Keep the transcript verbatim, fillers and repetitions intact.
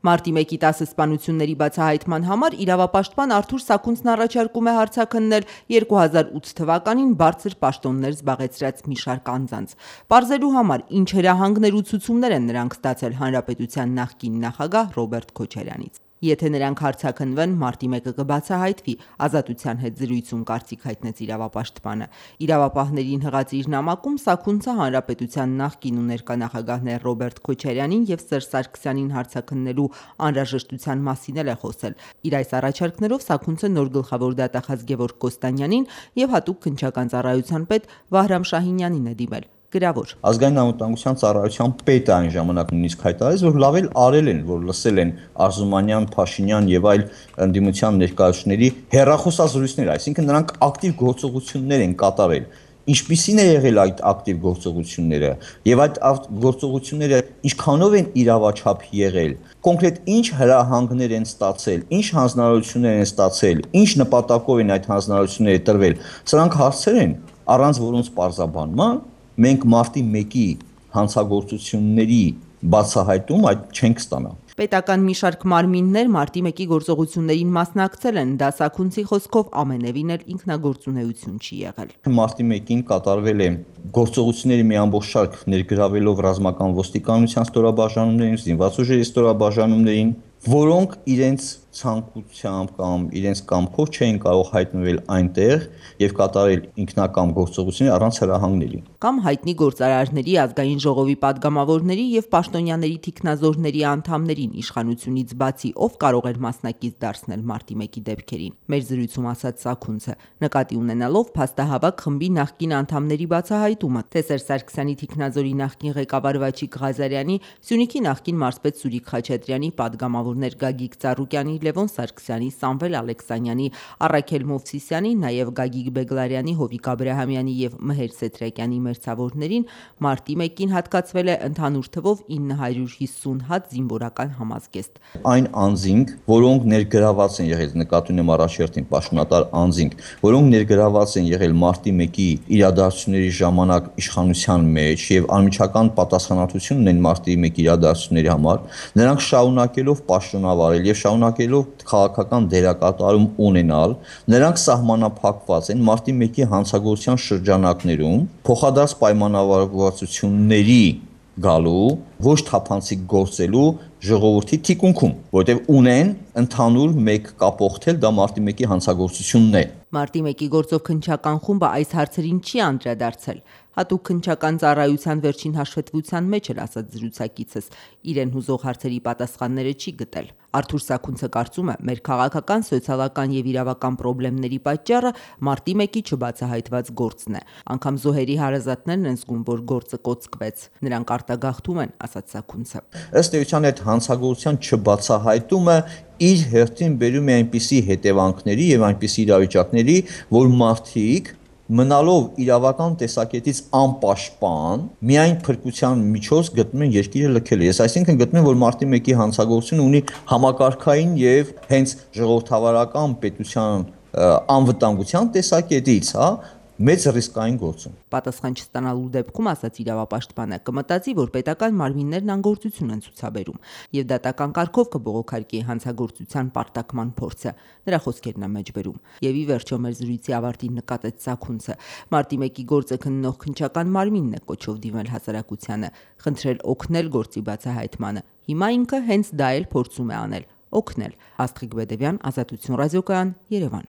Մարտի մեկի տասը սպանությունների բացահայտման համար իրավապաշտպան Արթուր Սաքունցն առաջարկում է հարցաքննել երկու հազար ութ թվականին բարձր պաշտոններ զբաղեցրած մի շարք անձանց։ Պարզելու համար ինչ հրահանգներ ու ցուցումներ են նրանք ստացել հանրապետության նախկին նախագահ Ռոբերտ Քոչարյանից։ Եթե նրանք հարցաքննվեն, մարտի մեկը կբացահայտվի, Ազատության հետ զրույցում կարծիք հայտնեց իրավապաշտպանը։ Իրավապահներին հղած իր նամակում Սաքունցը հանրապետության նախկին ու ներկա նախագահներ Ռոբերտ Քոչարյանին եւ Սերժ Սարգսյանին հարցաքննելու անհրաժեշտության մասին էլ է խոսել։ Իր այս առաջարկներով Սաքունցը նոր գլխավոր դատախազ Գևորգ Կոստանյանին եւ հատուկ քննչական ծառայության պետ Վահրամ Շահինյանին է դիմել։ Գրավոր. Ազգային անվտանգության ծառայության պետը այն ժամանակ նույնիսկ հայտարարեց, որ լավ էլ արել են, որ լսել են Արզումանյան, Փաշինյան եւ այլ ընդդիմության ներկայացուցիչների հեռախոսազրույցներ, այսինքն նրանք ակտիվ գործողություններ են կատարել։ Ինչպիսին է եղել այդ ակտիվ գործողությունները եւ այդ գործողությունները ինչքանով են իրավաչափ եղել, կոնկրետ ինչ հրահանգներ են ստացել, ինչ հանձնարարություններ են ստացել, ինչ նպատակով են այդ հանձնարարությունները տրվել, սրանք հարցեր են, առանց որոնց պարզաբանման մենք մարտի մեկի հանցագործությունների բացահայտում այդ չենք ստանա։ Պետական մի շարք մարմիններ մարտի մեկի գործողություններին մասնակցել են, դա Սաքունցի խոսքով ամենևին էլ ինքնագործունեություն չի եղել։ Մարտի մեկին կատարվել է գործողությունների մի ամբողջ շարք ներգրավելով ռազմական ոստիկանության ստորաբաժանումներին, զինված ուժերի ստորաբաժանումներին, որոնք իրենց ցանկությամբ կամ իրենց կամքով չէին կարող հայտնվել այնտեղ եւ կատարել ինքնակամ գործողություններ առանց հրահանգների։ Կամ հայտնի գործարարների, ազգային ժողովի падգամավորների եւ պաշտոնյաների թիկնազորների անդամներին իշխանությունից բացի ով կարող էր մասնակից դարձնել մարտի մեկի դեպքերին։ Մեր զրույցում ասաց Սաքունցը, նկատի ունենալով փաստահավաք խմբի նախկին անդամների բացահայտումը, թե Սերժ Սարգսյանի թիկնազորի նախկին ղեկավար Վաչիկ Ղազարյանի, Սյունիքի նախկին մարզպետ Սուրիկ Խաչատրյանի, падգամավորներ Գագիկ Ծառուկյանի, Լևոն Սարգսյանի, Սամվել Ալեքսանյանի, Առաքել Մովսիսյանի, նաև Գագիկ Բեգլարյանի, Հովիկ Աբրահամյանի եւ Մհեր Սեթրակյանի մերձավորներին մարտի մեկին հատկացվել է ընդհանուր թվով ինը հարյուր հիսուն հատ զինվորական համազգեստ։ Այն անձինք, որոնք ներգրաված են եղել, նկատի ունեմ առաջերտին պաշտոնատար անձինք, որոնք ներգրաված են եղել մարտի մեկի իրադարձությունների ժամանակ իշխանության մեջ եւ անմիջական պատասխանատվություն ունեն մարտի մեկի իրադարձությունների համար, նրանք շարունակելով պաշտոնավարել եւ շարունակելով քաղաքական դերակատարում ունենալ, նրանք սահմանափակված են մարտի մեկի հանցագործության շրջանակներում փոխադարձ պայմանավորվածությունների գալու, ոչ թափանցիկ գործելու ժողովրդի թիկունքում, որտեղ ունեն ընդհանուր մեկ կապողթել, դա մարտի մեկի հանցագործությունն է։ Մարտի մեկի գործով քննչական խումբը այս հարցերին չի անդրադարձել։ Հատուկ քննչական ծառայության վերջին հաշվետվության մեջ էլ ասաց զրուցակիցս, իրեն հուզող հարցերի պատասխանները չի գտել։ Արթուր Սաքունցը կարծում է, մեր քաղաքական, սոցիալական եւ իրավական խնդիրների պատճառը մարտի մեկի չբացահայտված գործն է։ Անկամ զոհերի հարազատներն են զգում, որ գործը կոծկվեց։ Նրանք արտագաղթում են, ասաց Սաքունցը։ Ըստ էության այդ հանցագործության չբացահայտումը իր հերթին բերում է այնպիսի հետևանքների եւ այնպիսի իրավիճակների, որ մարդիկ մնալով իրավական տեսակետից անպաշտպան, միայն փրկության միջոց գտնում են երկիրը լքել։ Ես այսինքն գտնում եմ, որ մարտի մեկի հանցագործությունը ունի համակարգային եւ հենց ժողովրդավարական պետության անվտանգության տեսակետից, հա, մեծ ռիսկային գործ է։ Պատասխան չստանալու դեպքում, ասաց իրավապաշտպանը, կմտածի, որ պետական մարմիններն անգործություն են ցուցաբերում եւ դատական կարգով կբողոքարկի հանցագործության պարտակման փորձը։ Նրա խոսքերն են մեջբերում։ Եվ ի վերջո մեր զրույցի ավարտին նկատեց Սաքունցը, մարտի մեկի գործը քննող քննչական մարմինն է կոչով դիմել հասարակությանը, խնդրել օգնել գործի բացահայտմանը։ Հիմա ինքը հենց դա էլ փորձում է անել՝ օգնել։ Աստղիկ Բեդևյան, Ազատություն ռադիոկայան, Երևան։